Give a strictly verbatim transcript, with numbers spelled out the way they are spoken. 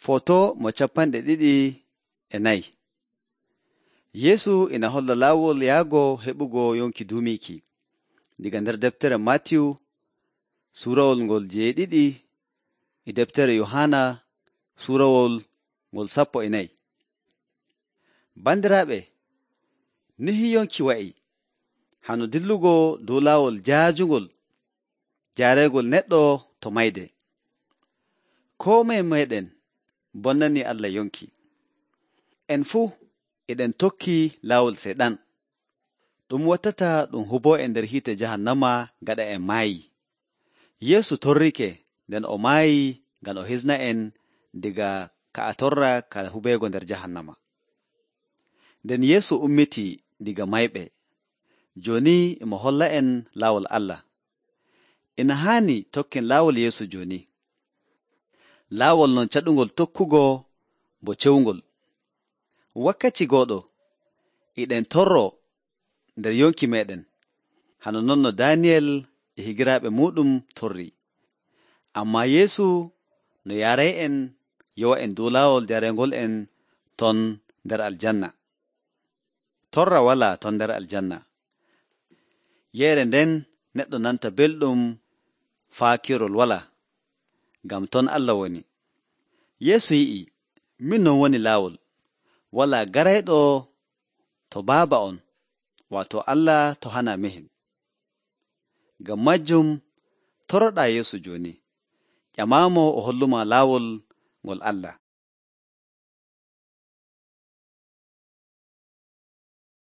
Foto mo capanɗe ɗiɗi e nayi. Yeesu ina holla laawol yahgo heɓugo yonki duumiiki diga nder deftere Maatiyu suurawol ngol jeeɗiɗi e deftere Yohaana suurawol ngol sappo e nayi. Bandiraaɓe, nihi yonki wa'i hano dillugo dow laawol jaajungol jaareegol neɗɗo to mayde. Koo moye meeɗen bonnanii Allah yonki. En fuu eɗen tokki laawol Seeɗan. Ɗum wattata ɗum huboo e nder hiite jahannama gaɗa en maayi. Yeesu torrike nden o maayi ngam o hisna en diga ka a torra ka hubeego nder jahannama. Nden Yeesu ummitii diga mayɓe. Jooni mo holla en laawol Allah. Ina haani tokken laawol Yeesu jooni. Laawol non caɗungol tokkugo bo cewngol. Wakkati gooɗo eɗen torro nder yonki meeɗen, hano non no Daaniyel e higiraaɓe muuɗum torri. Ammaa Yeesu no yaaray'en yowa en dow laawol jareengol en ton nder aljanna. Torra walaa ton nder aljanna. Yeere nden neɗɗo nanta belɗum faakirol walaa, ngam ton Allah woni. Yeesu yi'i, min non woni laawol. Walaa garayɗo to Baaba on, waato Allah to hana mehin. Ngam majjum toroɗaa Yeesu jooni. Ƴamaamo o holluma laawol ngol Allah.